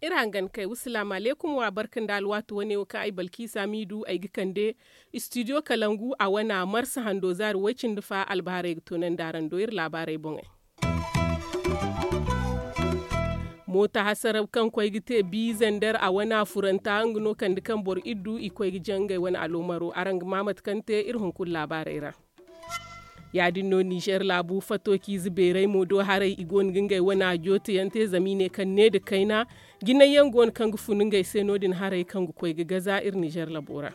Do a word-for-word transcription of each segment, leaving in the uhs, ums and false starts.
Iri hangan kay wasalaamu aleykum wa barka nda alwaati wane wo kaŋ ay balkiisa miidu ay ga kande istidiyo kalangu a wana marsa hando zaari way-cindi fa albaharay ga toonandi araŋ do iri laabaarey boŋey. Moota hasara kaŋ koy ga te bi zander a wana furanta nga no kande kaŋ boro iddu i koy ga jaŋ ngey wane aloomaro araŋ ga ma mate kaŋ te iri hunkuna laabaarey ra. Ya- din no nizer laabu fato ciize beerey mo do haray i go no ga ngey wana jooteyaŋ te zama i ne kaŋ ne nda kayna jinay yaŋ go no kaŋ ga fun ngey se no- din haray kaŋ ga koy ga gaza iri nizer labo ra.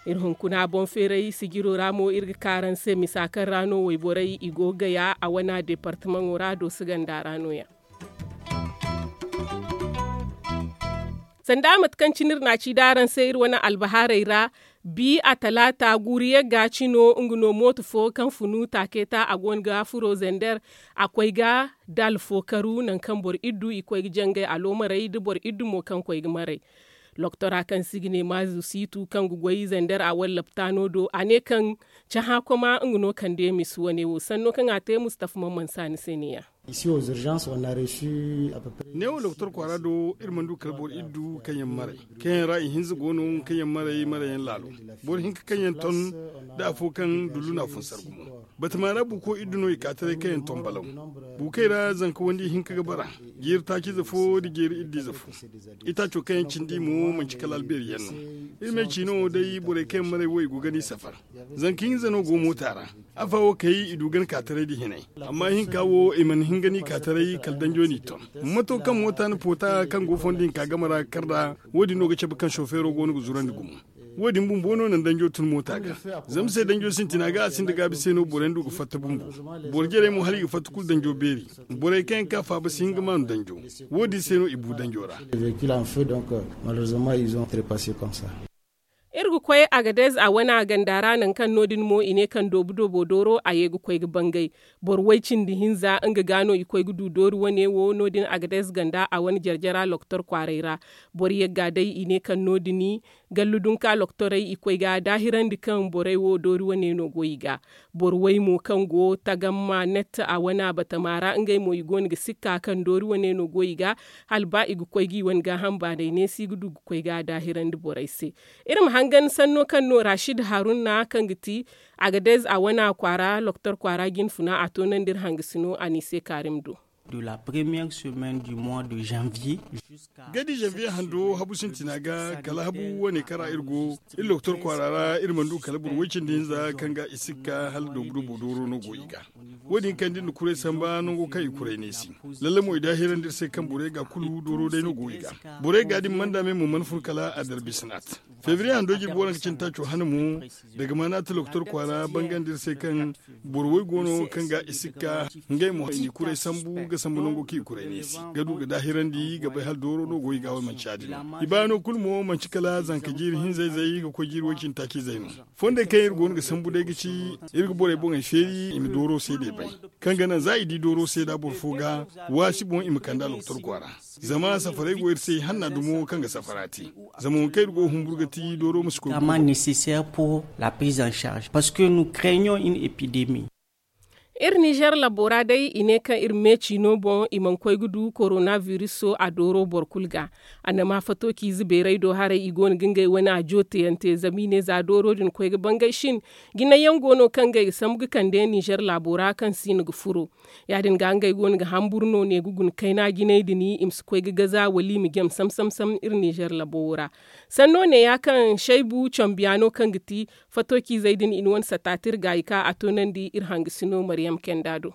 Iri hunkuna boŋ feeray sijiro ra mo iri ga ka araŋ se misa kaŋ ra no wayborey i go ga gaya a wana deepartamaŋo ra dooso ganda ra no- ya. Sanda mate kaŋ cine iri na a ci da araŋ se iri wane albahaarey ra, bi a talaata guuru yagga cino nga no mooto fo kaŋ funu taakeeta a go no ga furo zander a koy ga daala fo karu nangu kaŋ boro iddu i koy ga jangay aloomarey nda boro iddu mo kaŋ koy ga maray. Loktora kaŋ se i ga ne maazu siitu kaŋ ga goy zander a wallaptaano do a ne kaŋ cahã koma nga no kande misa wane wo sanno kaŋ a te mustafa mamman saani se ne- ya. Neewo doktor kwaara do iri mana du kala boro iddu kaŋ yaŋ maray kaŋ yaŋ ra ihinza go no kaŋ yaŋ maray maray yaŋ laalo. Boro hinka kaŋ yaŋ ton nda afo kaŋ dullu no a fun sargu mo. Batama ra buuko iddu no i ka taray kaŋ yaŋ ton balaw. Buukey ra zanka wandi hinka ga bara. Jeeri taaciize fo nda jeeri iddiize fo. Itaaco kaŋ yaŋ cindi mo manci kala albeeri yaŋ no. Iri ma ay ci no day borey kaŋ yaŋ maray wo i go ga ni safar. Zanka hinza no go moota ra. Afa wo kay i du gana ka taray nda hinay. Amma ihinka wo i mana hin ga ni ka taray kala danjo n'i ton. Mato kaŋ moota na poota kaŋ go fondo hinka game ra ga kar nd'a. Wo- din no ga cabe kaŋ sofeero go no ga zurandi gumo. Wo- din bumbo no naŋ danjo tun moota ga. Zama se danjo sintina ga a sinda gaabi se no boro yaŋ du ga fatta bumbo. Boro jarey mo hala i ga fatta kulu danjo beeri. Borey kaŋ yaŋ ka faaba si hin ga maanu danjo. Wo- din se no i bu danjo ra. Iri ga koy agadez a wana ganda ra nangu kaŋ no- din mo i ne kaŋ doobu doobo dooro a ye ga koy ga bangay. Boro way cindi hinza nga ga no i koy ga du doori wane wo no- din agadez ganda a wane jarjara loktor kwaaray ra. Boro yagga day i ne kaŋ no- din gallu dunka loktorey i koy ga daahirandi kaŋ borey wo doori wane no go i ga. Boro way mo kaŋ go tagamma nette a wana batama ra ngey mo i go no ga sikka kaŋ doori wane no go i ga. Hala ba i ga koy ga i wane gaaham baanay neesi ga du ga koy ga a daahirandi borey se. Iri ma hangan sanno kaŋ no rashid haruna kaŋ ga ti agadez a wana kwaara loktor kwaara jinfuna a toonandi iri hangasino a n'i se kaarim do. Gadi janvier hando habu sintina ga kala habu wane kaŋ ra iri go. Iri loktor kwaara ra iri mana du kala boro way cindi hinza kaŋ ga i sikka hala doobu doobo dooro no go i ga. Wo- din kaŋ da iri na kuray samba nango kaŋ i kuray neesi. Lalle mo i daahirandi iri se kaŋ borey ga kulu dooro day no go i ga. Borey ga din manda me mo mana fun kala a darbisinaat. Febriye hando jirbi waranka cindi taaco hane mo. Daga maana ti loktor kwaara bangandi iri se kaŋ boro way go no kaŋ ga i sikka ngey mo i n'i kuray sambu ga sambu nango kaŋ i kuray neesi ga du ga daahirandi ga bay hala dooro no go i ga wala manci ya- din no i baano kulu mo manci kala zanka jiiri hinza-izey ga koy jiiri way cindi taaci-izey no. Fondey kaŋ iri go no ga sambu day ga ci iri ga borey boŋey feeri i ma dooro seedey bay. Kaŋ ga naŋ za i di dooro seeda boro fo ga waasi boŋ i ma kand'a loktor kwaara. Zama safaray go iri se i hanna dumo kaŋ ga safara te. Zama waŋ kaŋ iri go ga humburu ga ti dooro ma si koy ga ma nécessaire pour la prise en charge parce que nous craignons une épidémie. Iri nizer labo ra day i ne kaŋ iri meeci no boŋ i mana koy ga du korona viriso a dooro boro kulu ga. Annama fato ciize beeray do haray i go no ga ngey wane a jooteyaŋ te zama i ne za dooro din koy ga bangay shin. Jinay yaŋ go no kaŋ ngey ga sambu ga kande nizer laabo ra kaŋ si no ga furo. Ya- din ga ngey go no ga hamburu no ne ga guna kayna jinay din i ma si koy ga gaza wala i ma jam sam sam sam iri nizer labo wo ra. Sanno ne ya kaŋ shaybu cambiya no kaŋ ga ti fato ciizey din i na wane sataati iri ga i ka a toonandi iri hangasino mariyam kenda do.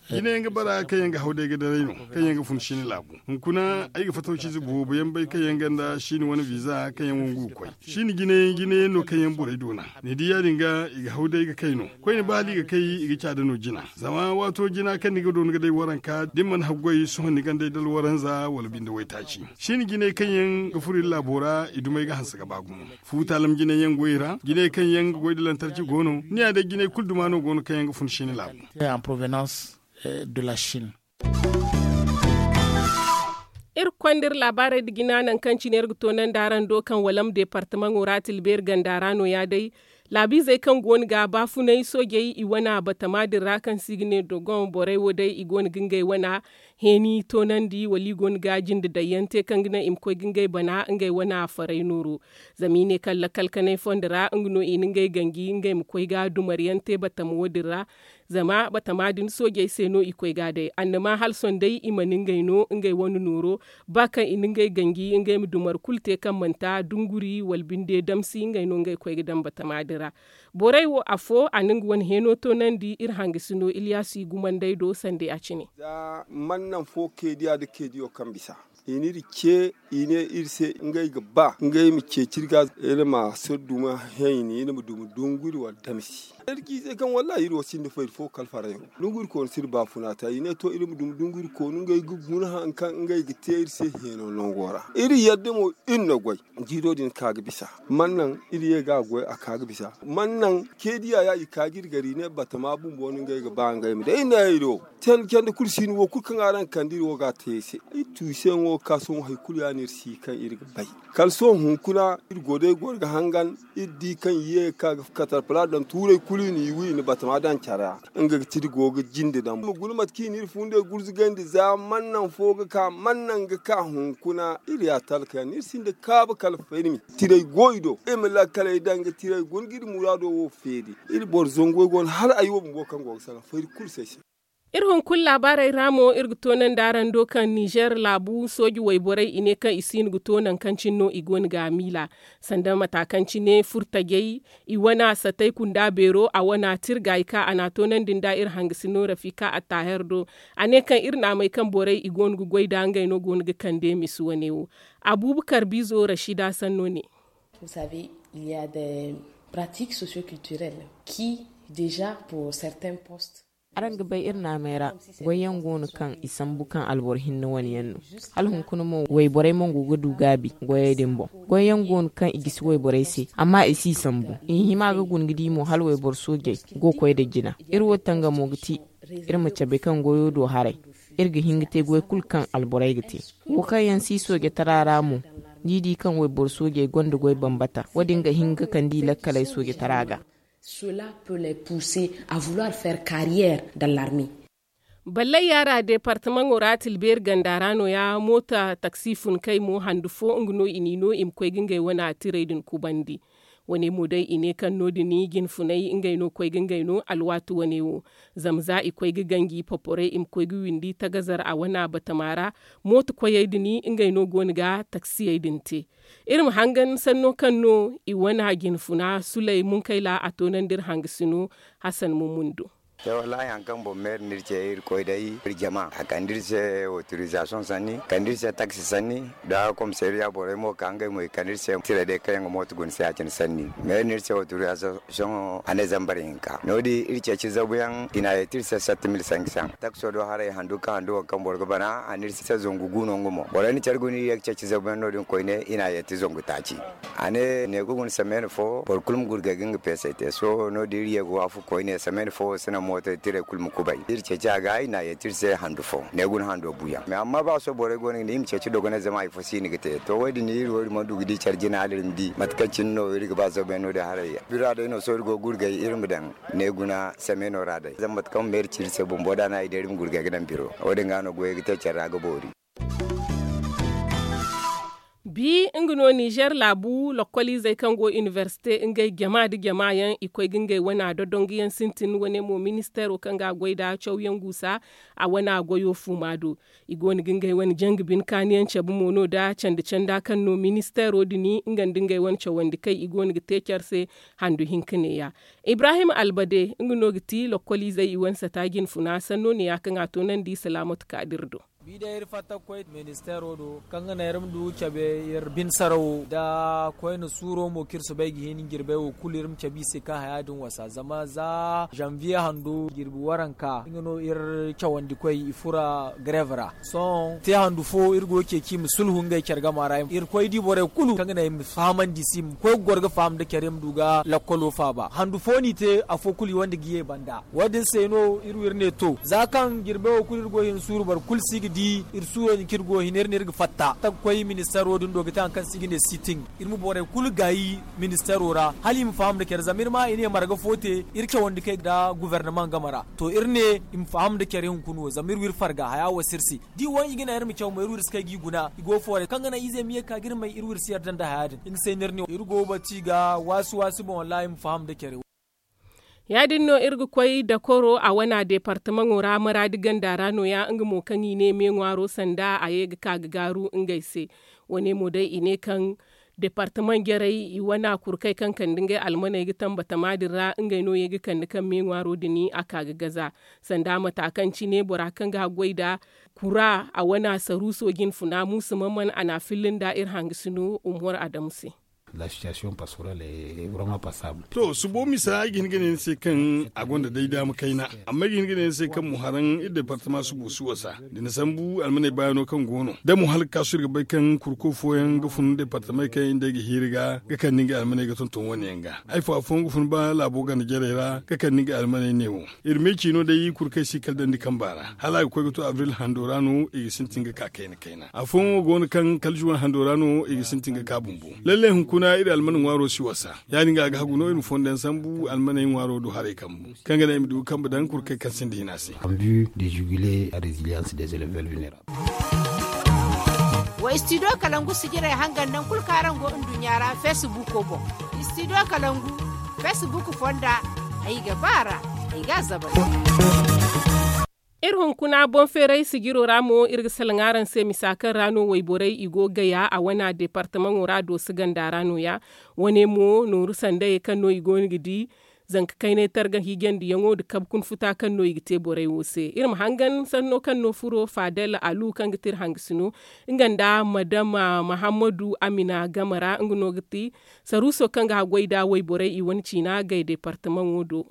Jinay yaŋ ga bara kaŋ yaŋ ga haw day ga daray no kaŋ yaŋ ga fun shini laabu. Hunkuna ay ga fato ciize boobo yaŋ bay kaŋ yaŋ ganda shini wane viza kaŋ yaŋ wangu ga koy. Shini jinay yaŋ no kaŋ yaŋ borey doona. Ni di ya- din ga i ga haw day ga kay no. Koyne ba hala i ga kay i ga caada no jina. Zama waato jina kaŋ ni ga doona ga day waranka da ni mana haggoy sohõ ni gandey dala waranza wala binde waytaaci. Shini jinay kaŋ yaŋ ga furo iri laabo ra i dumey ga hanse ga ba gumo. Fuutaalam jinay yaŋ go i ra jinay kaŋ yaŋ ga goy da lantarki go no. Ni ya day jinay kulu duma no go no kaŋ yaŋ ga fun shini laabu. De la chine. Iri ga konda iri laabaarey nda jina nangu kaŋ cine iri ga toonandi araŋ do kaŋ walam deepartamaŋo ra tilbeeri ganda ra no- ya day. Laabiizey kaŋ go no ga baafunay soojey i wana batama din ra kaŋ se i ga ne dogon borey wo day i go no ga ngey wana heeni toonandi wala i go no ga jinde daŋ yaŋ te kaŋ ga naŋ i ma koy ga ngey bana ngey wana faray nooro. Zama i ne kaŋ lakkal kanay fondo ra nga no i na ngey ganji ngey ma koy ga dumar yaŋ te batama wo- din ra. Zama batama din soojey se no i koy ga a day annama hala sohõ day i mana ngey no ngey wane nooro. Ba kaŋ i na ngey ganji ngey ma dumar kulu te kaŋ manti dunguri wala binde damsi ngey no ngey koy ga daŋ batama din ra. Borey wo afo a na nga wane heeno toonandi iri hangasino iliyaasu i gumandey do sanda ya cine. Za man naŋ fo keediya nda keediyo kaŋ bisa i n'iri ce i ne iri se ngey ga ba ngey ma ceeci iri ga iri ma soro duma hayni iri ma duma dunguri wala damsi. Iri ci se kaŋ wallahi iri wo sinda fayda fo kala farayro. Dunguri koonu si iri baafuna ta i ne to iri ma duma dunguri koonu ngey ga guna hari kaŋ ngey ga te iri se heeno nango ra. Iri yadda mo iri na goy jiiro din ka ga bisa. Man naŋ iri ye ga a goy a ka ga bisa man naŋ keediya ya i ka ga iri gar i ne batama bumbo no ngey ga ba ngey ma day iri ne ay do. Candi candi kulu si ni wo kulu kaŋ araŋ ga kande iri wo ga a te ay se. Iri tu i se yaŋo ga ka sohõ hari kulu ya no iri si kaŋ iri ga bay. Kala sohõ hunkuna iri go day goro ga hangan iri di kaŋ i ye ga ka ga katarpala daŋ tuurey kulu i n'i wi i na batama daŋ care ra. Nga ga ti iri go ga jinde daŋ ma guna mate kaŋ i n'iri fundey gurzugandi za man naŋ fo ga ka man naŋ ga ka hunkuna iri ya talka yaŋ no iri sinda kaabu kala fayda mi. Tirey go i do iri ma lakkaley daŋ ga tirey guna ga iri muraado wo feeri. Iri boro zango go no hala ay wo bumbo kaŋ go ga salaŋ fayda kulu se ay se. Iri hunkuna laabaarey ra mo iri ga toonandi araŋ do kaŋ nizer laabu sooji wayborey i ne kaŋ i si hin ga to nangu kaŋ cine no i go no ga a miila. Sanda mata kaŋ cine furtajey i wana satay kunda beero a wana tirga i ka a na a toonandi nda iri hangasino rafika attaaher do. A ne kaŋ iri naamey kaŋ borey i go no ga goy nd'a ngey no go no ga kande misi wane wo. Abuubakar biizo rashida sanno ne. Vous savez, il y a des pratiques socioculturelles qui déjà pour certains postes. Araŋ ga bay iri naamey ra goy yaŋ go no kaŋ i sambu kaŋ alboro hinne wane yaŋ no. Hala hunkuna mo wayborey mo go ga du gaabi goyey din boŋ. Goy yaŋ go no kaŋ i gisi wayborey se amma i si i sambu. I hima ga guna ga di mo hala wayboro soojey go ga koy nda jina. Iri wo tangamo ga ti iri ma cabe kaŋ goyo do haray. Iri ga hin ga te goy kulu kaŋ alborey ga te. Wo kaŋ yaŋ si soojatara ra mo, ni di kaŋ wayboro soojey gonda goy bambata wo- din ga hin ga kande i lakkaley soojatara ga. Cela peut les pousser à vouloir faire carrière dans l'armée. Ballay yaara deepartamaŋo ra tilbeeri ganda ra no- ya moota taksi funkey mo handu fo nga no i n'i no i ma koy ga ngey wane tirey din kubandi. Wane mo day i ne kaŋ no- din jinfuney ngey no koy ga ngey no alwaati wane wo. Zama za i koy ga ganji poporey i ma koy ga windi tagazar a wana batama ra. Mooto koyey din ngey no go no ga taksiyey din te. Iri ma hangan sanno kaŋ no i wana jinfuna suley munkayla a toonandi iri hangasino. Hasan mummundo. Te wallahi hari kaŋ boŋ meeri no iri ce iri koy day iri jama a kande iri se autorisation sanni kande iri se taksi sanni. Da komisariya borey mo ka ngey mo i kande iri se tira day kaŋ yaŋ ga mooto guna se ya- cine sanni. Meeri no iri se autorisation a ne zambar hinka no- din iri ceeci zabu yaŋ i n'a yeeti iri se sept mille cinq cents. Takso do haray handu kaŋ handu wo kaŋ boro ga bana a ne iri se zangu gu no nga mo borey na care guna iri ye ga ceeci zabu yaŋ no- din koyne i n'a yeeti zangu taaci. A ne ne ga guna semaine fo boro kulu ma gurgay ga nga peesay te sohõ no- din iri ye ga waafaku koyne semaine fo wo si naŋ mooto tirey kulu ma kubay iri ceeci a ga i n'a yeeti iri se handu fo ne guna hando buuyaŋ mais amma ba sohõ borey go no ga ne iri ma ceeci dogonay zama hari fo si hin ga te to wo- din iri wo iri mana du ga di care jina hala iri ma di mate kaŋ cine no iri ga ba zabu yaŋ no- din haray. Bira day no sohõ iri go ga gurgay iri ma daŋ ne guna semaino ra day zama mate kaŋ meeri ci iri se bumbo da no a i day iri ma gurgay ga daŋ biro wo- din ga no goyey ga te care ra ga boori. Bi nga no nizer laabu lokkoliizey kaŋ go iniversite ngey jama nda jama yaŋ i koy ga ngey wana dodonguyaŋ sintin wane mo ministeero kaŋ ga a goy nda cawyaŋ guusa a wana goyo fuuma do. I go no ga ngey wane jangu bine kaaniyaŋ cabe mo no nda candi canda kaŋ no ministeero din nga nda ngey wane cawandi kay i go no ga te care se. Handu hinka neeya ibrahim albade nga no ga ti lokkoliizey i wane sata jinfuna sanno neeya kaŋ a toonandi salaamatu kaadir do. Bi day iri fatta ga koy ministeero do kaŋ ga naŋ iri ma du ga cabe iri bine sarawo nda koyne suuro mo kaŋ iri soobay ga hin jirbey wo kulu iri ma cabe i se kaŋ haya din wasa zama za zanviye hando jirbi waranka nga no iri cawandikoy i fura garev ra. Sohõ te handu fo iri go ga ceeci i ma sulhu ngey care gama ra iri koy di borey kulu kaŋ ga naŋ i ma fahamandi i se i ma koy ga goro ga faham nda care i ma du ga lakkolo faaba handu fo no i te afo kulu i wande ga ye banda. Wo- din se no iri wo iri ne to za kaŋ jirbe wo kulu iri go ga hin suuru boro kulu si ga Da iri suuro din kaŋ iri go ga hin iri ne iri ga fatta ta ga koy ministeero din do ga te hari kaŋ se i ga ne sitin. Iri ma borey kulu gaayi ministeero ra hala i ma faham nda care zama iri ma i ne marga fo te iri cawandi kay nda guvernaman game ra. To iri ne i ma faham nda care hunkuna wo zama iri wo iri farga haya wo si iri se. Da i wane i ga naŋ iri ma caw mo iri wo iri si kay ga i guna i go fooray kaŋ ga naŋ ize ma ye ga ka ga iri may iri wo iri si yarda nda haya din. Nga se no iri ne iri go ga batu i ga waasi waasi boŋ wallaahi i ma faham nda care wo. Ya- din no iri ga koy dakoro a wana deepartamaŋo ra maraadi ganda ra no- ya nga mo kaŋ i ne me ŋwaaro sanda a ye ga ka ga gaaru ngey se. Wane mo day i ne kaŋ deepartamaŋ jarey i wana kurkey kaŋ kande ngey almaney ga tambatama din ra ngey no ye ga kande kaŋ me ŋwaaro din a ka ga gaza. Sanda mata kaŋ cine bora kaŋ ga haggoy nda kura a wana saruuso jinfuna muusa maman a n'a filli nda iri hangasino umar adamu se. To subo misa ay ga hin ga ne ni se kaŋ a gonda day daama kayna. Amma ay ga hin ga ne ni se kaŋ mo haraŋ iri departama subo si wasa da ni sambu almaney baayano kaŋ go no da mo hala ga kaasu iri ga bay kaŋ kurko fooyaŋ ga fun departamey kaŋ iri nd'ey ga hiiri ga ga kande ngey almaney ga tonton wane yaŋ ga. Ay fo afooyaŋ ga fun ba laabo ganda jarey ra ga kande ngey almaney neewo. Iri me ciino day kurkey si kala dandi kamba ra hala a ga koy ga to abril hando ra no i ga sintin ga ka kayna kayna afooyaŋo go no kaŋ kala juwan hando ra no i ga sintin ga ka bumbo. Lallay hunkuna iri alman ŋwaaro si wasa. Ya- din ga a ga hagu no iri ma fondo yaŋ sambu almaney ŋwaaro do haray kambu kaŋ ga naŋ i ma du ga kambe daŋ kurkey kaŋ sinda hina se. Wa istidiyo kalangu sijirey hangan naŋ kulu kaŋ araŋ go nduɲɲa ra feesibuuko boŋ. Istidiyo kalangu feesibuuko fonda ay ga ba a ra ay ga a zabal. Iri hunkuna boŋ feeray sijiro ra mo iri ga salaŋ araŋ se misa kaŋ ra no wayborey i go gaya a wana deepartamaŋo ra dooso ganda ra no- ya. Wane mo nooru sandayey kaŋ no i go no ga di zanka kaynay targa hiijandiyaŋo nda kabe kuna futa kaŋ no i ga te borey wo se. Iri ma hangan sanno kaŋ no furo fadel alu kaŋ ga te iri hangasino nga nda madama mahammadu amina game ra nga no ga ti saruuso kaŋ ga haggoy nda wayborey i wane ciina gay deepartamaŋo do.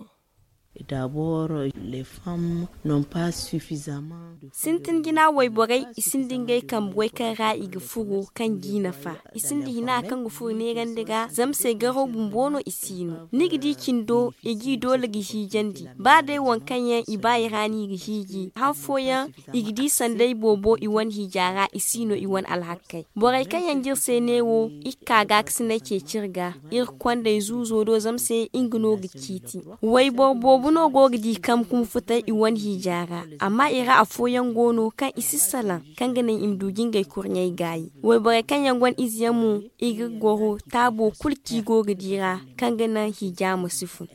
Dabor les femmes non pas suffisamment. Sintin jina wayborey i sinda ngey kambe goy kaŋ ra i ga furo kaŋ g'i nafa. I sinda hina kaŋ ga furo neerandi ra zama se garaw bumbo no i si no ni ga di cindo i g'i doole ga hiijandi. Ba day waŋ kaŋ yaŋ i ba i ra no i ga hiiji han fooyaŋ i ga di sanday boobo i wane hiija ra i si no i wane alhakkey. Borey kaŋ yaŋ j'iri se neewo iri ka gaakasinay ceeci iri ga. Iri kondey zuuzo do zama se nga no ga ciiti. Wayboro boobo no go ga di kambe kuma futay i wane hiija ra. Amma i ra afooyaŋ go no kaŋ i si salaŋ kaŋ ga naŋ i ma du ga ngey kurɲey gaayi. Wayborey kaŋ yaŋ gonda ize yaŋ mo i ga goro taabo kulu kaŋ i go ga di ra kaŋ ga naŋ hiija ma si fun.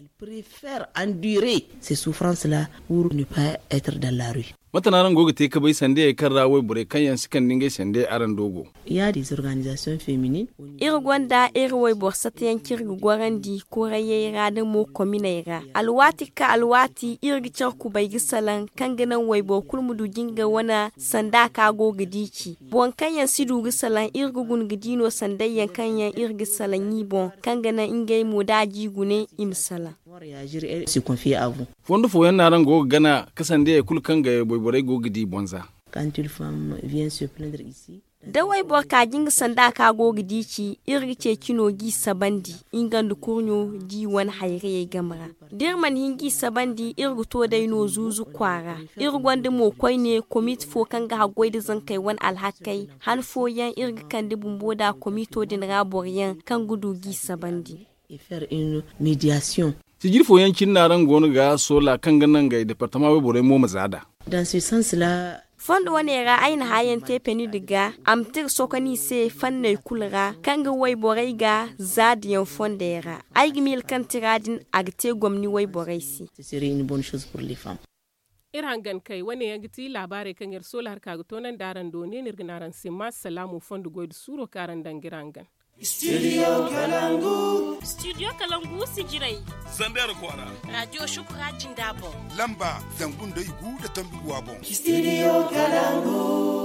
Mate no araŋ go ga te ka bay sandayey kaŋ ra wayborey kaŋ yaŋ si kande ngey sandayey araŋ do go? Iri gonda iri wayboro satayaŋ kaŋ iri ga gorandi korayey ra nda mo kominey ra. Alwaati ga ka alwaati iri ga care kubay ga salaŋ kaŋ ga naŋ wayboro kulu ma du ga nga wane sanda kaŋ a go ga di ci. Boro kaŋ yaŋ si du ga salaŋ iri ga guna ga di no sandayyaŋ kaŋ yaŋ iri ga salaŋ i boŋ kaŋ ga naŋ ngey mo da a ji gune i ma salaŋ. Fondo fooyaŋ no araŋ go ga gana ka sandayey kulu kaŋ ga wayborey go ga di bonza? Da wayboro ka ga nga sanda kaŋ a go ga di ci iri ga ceeci no g'i sabandi nga nda kurɲo da i wane hayrayey game ra. Da iri mana hin g'i sabandi iri ga to day no zuuzu kwaara. Iri gonda mo koyne komite fo kaŋ ga haggoy nda zankey wane alhakkey han fooyaŋ iri ga kande bumbo nda komito din ra boroyaŋ kaŋ ga du g'i sabandi. Sijiri fooyaŋ cine no araŋ go no ga soola kaŋ ga naŋ ngey departama wayborey mo ma za nd'a. Fondo wane ra ay na hããyaŋ te penidi ga a ma tira sokoni se fanney kulu ra kaŋ ga wayborey ga za dayaŋ fondey ra. Ay ga miila kaŋ tira din a ga te gomni wayborey se. Iri hangan kay wane yaŋ ga ti laabaarey kaŋ iri soola hari ka ga toonandi araŋ do ne no iri ga ne araŋ se ma salaamu fondo goy nda suuro kaŋ araŋ daŋ ga iri hangan. Studio kalangu sijirey. Zandar kwaara. Radiyo shukura jinda boŋ. Lamba zangu nda igu nda tambi guwa boŋ. Studio kalangu.